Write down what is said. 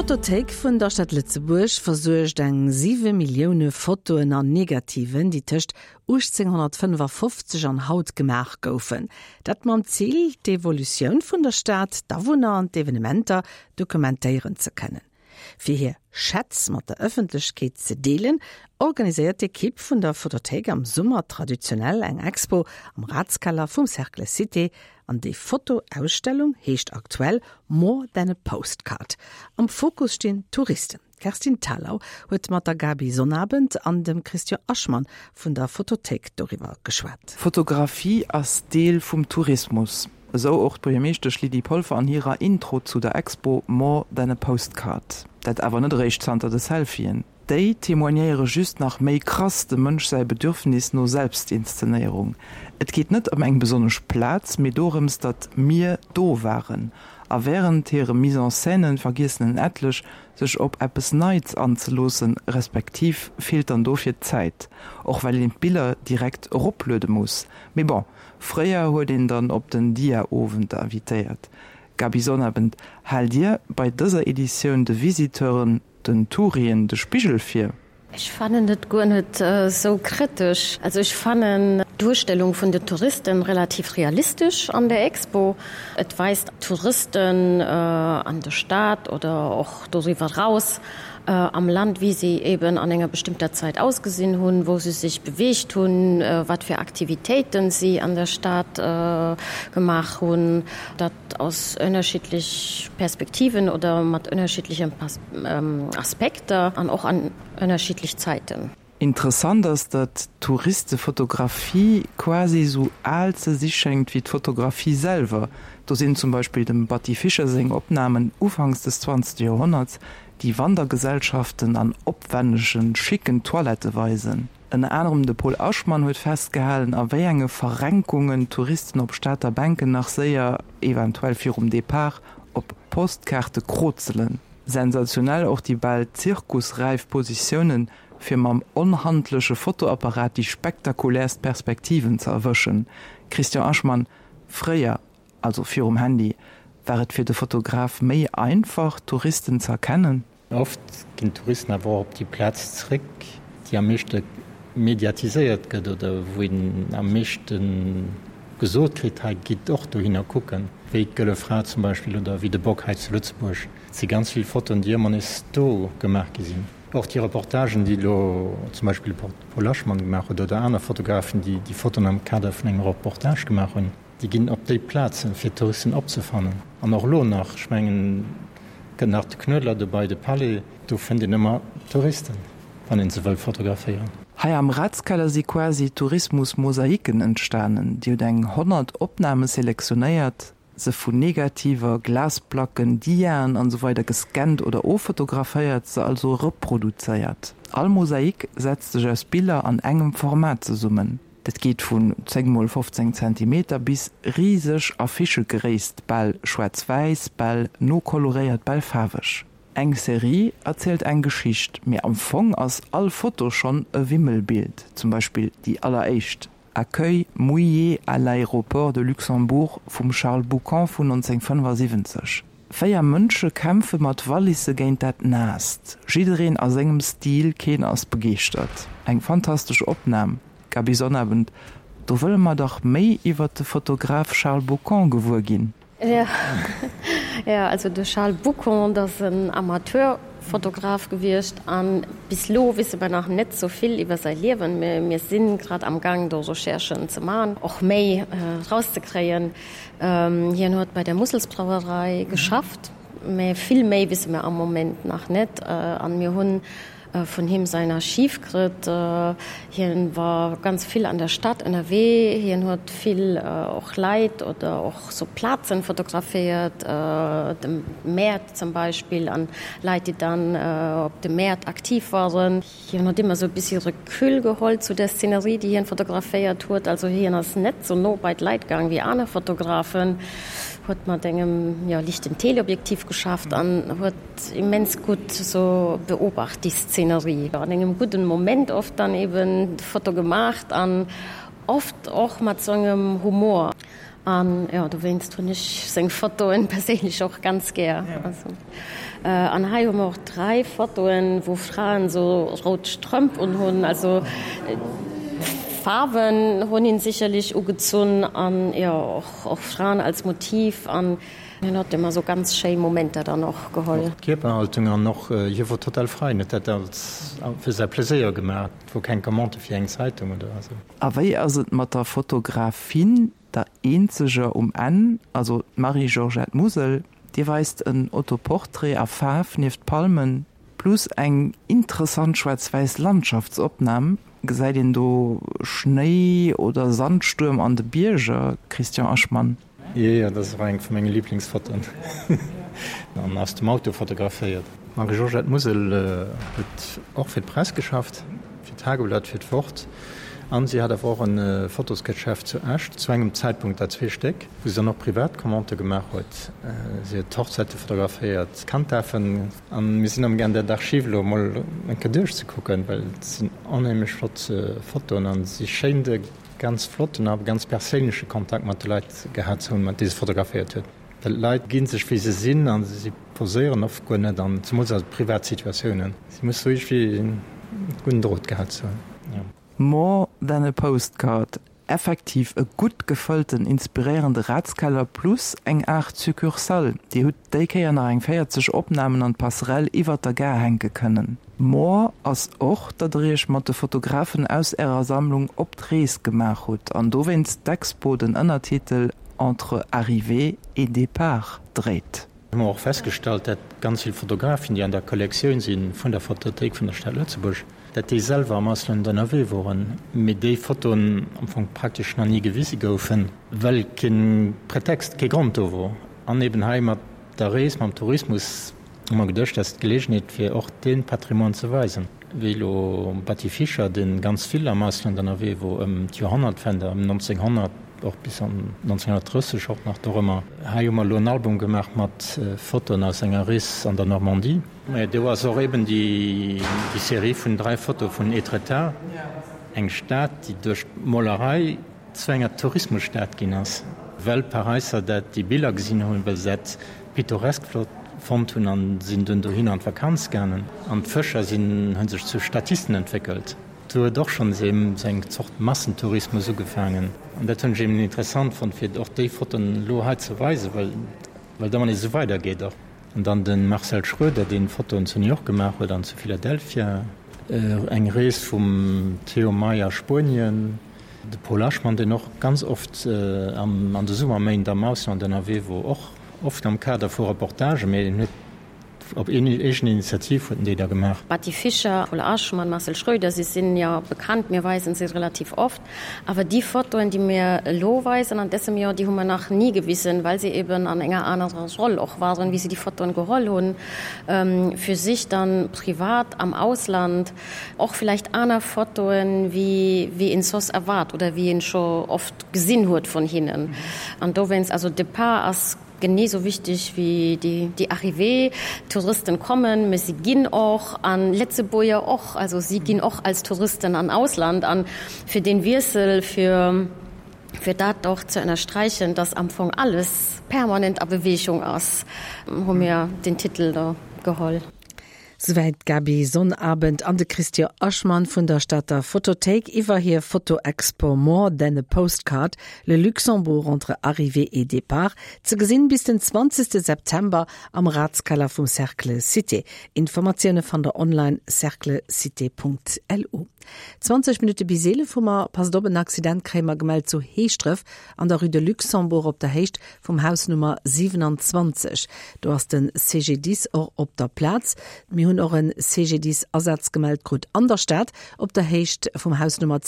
D'Fotothéik vun der Stad Lëtzebuerg versuergt eng 7 Millioune Fotoen an Negativen, déi tëscht 1855 an haut gemaach goufen. Dat mam Zil, d'Evolutioun vun der Stad, d'Awunner an d'Evenementer dokumentéieren ze kënnen. Fir hir Schätz mat der Ëffentlechkeet ze deelen, organiséiert d'Ekipp vun der Fotothéik am Summer traditionell eng Expo am Ratskeller vum Cercle Cité. An déi Fotoausstellung heescht aktuell More than a Postcard. Am Fokus stinn d'Touristen. D'Kerstin Thalau huet mat der Gaby Sonnabend an dem Christian Aschmann vun der Fotothéik doriwwer geschwat. Fotografie ass Deel vum Tourismus. Esou och d'Buergermeeschtesch Lydie Polfer an hirer Intro zu der Expo More than a Postcard. Dat awer net eréischt zanter de Selfien. Déi témoignéiere just nach méi krass dem Mënsch säi Bedürfnis no Selbstinszenéierung. Et geet net ëm eng besonnesch Plaz, mee dorëms, datt mir do waren. A wärend hire Mise-en-scènen vergiessen en etlech, sech op eppes Neits anzeloossen, respektiv feelt dann dofir d'Zäit, och well een d'Biller direkt eropluede muss. Mee bon, Fréier huet een dann op den Dia-Owend invitéiert. Gaby Sonnabend, Haalt Dir bei dëser Editioun de Visiteuren, den Tourien de Spigel vir? Ech fannen et guer net esou kritesch. Also ech fannen d'Duerstellung vun den Touristen relativ realistesch an der Expo. Et weist Touristen an der Stad oder och doriwwer eraus am Land, wéi si eben an enger bestëmmter Zäit ausgesinn hunn, wou se sech beweegt hunn, wat fir Aktivitéiten si an der Stad gemaach hunn, dat aus ënnerschiddlech Perspektiven oder mat ënnerschiddlechen Aspekter an och an ënnerschiddlech Zäiten. Interessant ass, datt d'Touristefotografie quasi esou al ze si schéngt wéi d'Fotografie selwer. Do sinn zum Beispill dem Batty Fischer seng Opnamen ufanks des 20. Joerhonnerts, déi Wandergesellschaften an opwännegen, schicken Toilette weisen. Ënner anerem de Paul Aschmann huet festgehalen, a wéi enge Verrenkungen d'Touristen op Stater Bänken nach séier, eventuell virum Depart, op Postkaarte krozelen. Sensationell och déi bal zirkusräif Positiounen, fir mam onhandleche Fotoapparat déi spektakuläerst Perspektiven ze erwëschen. Christian Aschmann, Fréier, also virum Handy, war et fir de Fotograf méi einfach, Touristen z'erkennen? Oft ginn d'Touristen awer och op déi Plaz zréck, déi am meeschte mediatiséiert gëtt oder wou een am meeschte gesot kritt, hei gitt och dohinner kucken, wéi d'Gëlle Fra zum Beispill oder wéi de Bock hei zu Lëtzebuerg. Et si ganz vill Fotoen, déi ëmmer nees do gemaach gi sinn. Och déi Reportagen, déi elo zum Beispill de Paul Aschmann gemaach huet oder aner Fotografen, déi déi Fotoen am Kader vun engem Reportage gemaach hunn, Déi ginn op déi Plazen, fir d'Touristen opzefannen. An och elo nach, ech mengen, kënnt nach de Knuedler dobei, de Palais, do fënnt een ëmmer Touristen, wann een se wëll fotograféieren. Hei am Ratskeller si quasi Tourismus-Mosaiken entstanen. Dir hutt eng 100 Opname selektionéiert, se vun Negativer, Glasplacken, Diaen an esou weider gescannt oder offotograféiert, se also reproduzéiert. All Mosaik setzt sech aus Biller an engem Format zesummen. Dat geet vun 10 mol 15 Zentimeter bis riseg Affichegréisst, bal schwaarz-wäiss, bal nokoloréiert, bal faarweg. Eng Serie erzielt eng Geschicht, mee am Fong ass all Foto schonn e Wimmelbild. Zum Beispill déi alleréischt, Accueil mouillé à l'aéroport de Luxembourg vum Charles Boucon vun 1975. 4 Mënsche kämpfe mat Wallisse géint dat Naasst. Jiddereen a sengem Stil, keen ass begeeschtert. Eng fantastesch Opnam, Gaby Sonnabend, do wëlle mer dach méi iwwert de Fotograf Charles Boucon gewuer ginn. Jo, also de Charles Boucon, dat ass en Amateurfotograf gewiescht a bis elo wisse mer nach net sou vill iwwer säi Liewen. Mir si grad am Gaang do Recherchen ze man, och méi erauszekréien. Hien huet bei der Musselsbrauerei geschafft, mä vill méi wisse mer am Moment nach net. An mir hunn vun him säin Archiv kritt. Hien war ganz vill an der Stad ënnerwee. Hien huet vill och Leit oder och sou Plazen fotograféiert, de Mäert zum Beispill, an Leit, déi dann op de Mäert aktiv waren. Hien huet ëmmer sou e bissi Recul geholl zu der Szenerie, déi hien fotograféiert huet. Also hien ass net sou no bei d'Leit gaang wéi aner Fotografen, huet mat engem, jo, lichten Teleobjektiv geschafft an huet immens gutt sou beobacht déi Szenerie. An engem gudden Moment oft dann eben d'Foto gemaacht an oft och mat sou engem Humor. An jo, dowéinst hunn ech seng Fotoen perséinlech och ganz gär. Also an hei hu mer och 3 Fotoen, wou Fraen sou rout Strëmp unhunn. Also d'Faarwen hunn hien sicherlech ugezunn an jo och och Fraen als Motiv an hien huet ëmmer sou ganz schéi Momenter dann och geholl. Och d'Kierperhaltung an och hie wor total frei, en huet dat als fir säi Pleséier gemaach, et wor keng Commande fir eng Zeitung oder esou. A wéi ass et mat der Fotografin, der eenzeger um Enn, also d'Marie-Georgette Musel? Dir weist en Autoportrait a Faarf nieft Palmen, plus eng interessant schwaarz-wäiss Landschaftsopnam. Gesäit een do Schnéi oder Sandstuerm an de Bierger, Christian Aschmann? Jo, dat ass och eng vu menge Liblingsfotoen. An aus dem Auto fotograféiert. D'Marie-Georgette Musel huet och fir d'Press geschafft, fir d'Tageblatt, fir d'Wort. An si hat awer och e Fotosgeschäft zu Esch, zu engem Zäitpunkt der zwee Stéck, wou se dann och privat Commandë gemaach huet. Si huet Hochzäite fotograféiert, Kanddafen. An mir sinn amgaang dat Archiv elo emol eng Kéier duerchzekucken, well et sinn onheemlech flott Fotoen an si schéint e ganz flotten a ganz perséinleche Kontakt mat de Leit gehat ze hunn, mat deene se fotograféiert huet. Well d'Leit gi sech wéi se sinn a si poséieren oft guer net an zemools a privat Situatiounen. Si muss sou iergendwéi e gudden Drot gehat ze hunn. More than a postcard, effektiv e gutt gefëllten, inspiréierende Ratskeller plus eng Aart Succursale. Dir hutt déi Kéier nach eng 40 Opnamen an d'Passerelle iwwert der Gare hänke kënnen. More ass och, datt der iech mat de Fotografen aus ärer Sammlung op d'Rees gemaach hutt an dowéinst d'Expo den Ënnertitel Entre arrivée et départ dréit. Hu mer och festgestallt, dat ganz vill Fotografen, déi an der Kollektioun si vun der Fotothéik vun der Stad Lëtzebuerg, dat déi selwer am Ausland ënnerwee woren, mee déi Fotoen am Fong praktesch nach ni gewise goufen, well kee Pretext, kee Grond do wor. An eben hei mat der Rees, mam Tourismus, hu mer geduecht, dat ass d'Geleegenheet, fir och dee Patrimoine ze weisen. Wéi elo Batty Fischer, dee ganz vill am Ausland ënnerwee wor ëm d'Joerhonnertwend, ëm 1900, och bis an 1930 och nach dorëmmer. Hei hu mer elo en Album gemaach mat Fotoen aus enger Rees an der Normandie. Mä do ass och eben déi Serie vun dräi Fotoe vun Étretat, eng Stad, déi duerch d'Molerei zu enger Tourismusstad ginn ass, well d'Paräisser dat déi Biller gesinn hunn, well se dat pittoresk flott fonnt hunn an sinn dunn dohinner an d'Vakanz gaangen. An d'Fëscher sinn hu sech zu Statisten entwéckelt. Do huet och schonns eben esou eng Zort Massentourismus ugefaangen. An dat hunn ech eben interessant fonnt, fir och déi Fotoen elo hei ze weisen, well well et ëmmer nees esou weidergeet och. An dann de Marcel Schroeder, deen Fotoen zu New York gemaach huet an zu Philadelphia. Eng Rees vum Theo May a Spuenien. De Paul Aschmann, deen och ganz oft an de Summerméint am Ausland ënnerwee wor, och oft am Kader vu Reportagen, mee en huet op eegen Initiativ huet en déi da gemaach. Batty Fischer, Paul Aschmann, Marcel Schroeder, si sinn jo bekannt, mir weisen se relativ oft. Awer déi Fotoen, déi mir elo weisen an dësem Joer, déi hu mer nach ni gewisen, well se eben an enger anerer Roll och waren, wéi se déi Fotoen geholl hunn, fir sich dann privat am Ausland. Och vielleicht aner Fotoen wéi wéi een soss erwaart oder wéi een scho oft gesinn huet vun hinnen. An dowéinst, also Départ ass genee sou wichteg wéi déi déi Arrivée. Touristen kommen, mee si ginn och, an Lëtzebuerger och, also si ginn och als Touristen an Ausland. An fir deen Wiessel, fir fir dat och ze ënnersträichen, dass am Fong alles permanent a Bewegung ass, hu mir den Titel do geholl. Souwäit d'Gaby Sonnabend an de Christian Aschmann vun der Stater Fotothéik iwwer hir Fotoexpo More than a postcard, Le Luxembourg entre arrivée et départ, ze gesinn bis den 20 September am Ratskeller vum Cercle Cité. Informatioune fannt der online cerclecité.lu. 20 Minutte bis 11 hu mer. Passt op, en Accident kréie mer gemellt zu Heeschdref an der Rue de Luxembourg op der Héicht vum Haus Nummer 27. Do ass de CGDIS och op der Plaz. Mir hunn och en CGDIS-Asaz gemellt krut an der Stad op der Héicht vum Haus Nummer.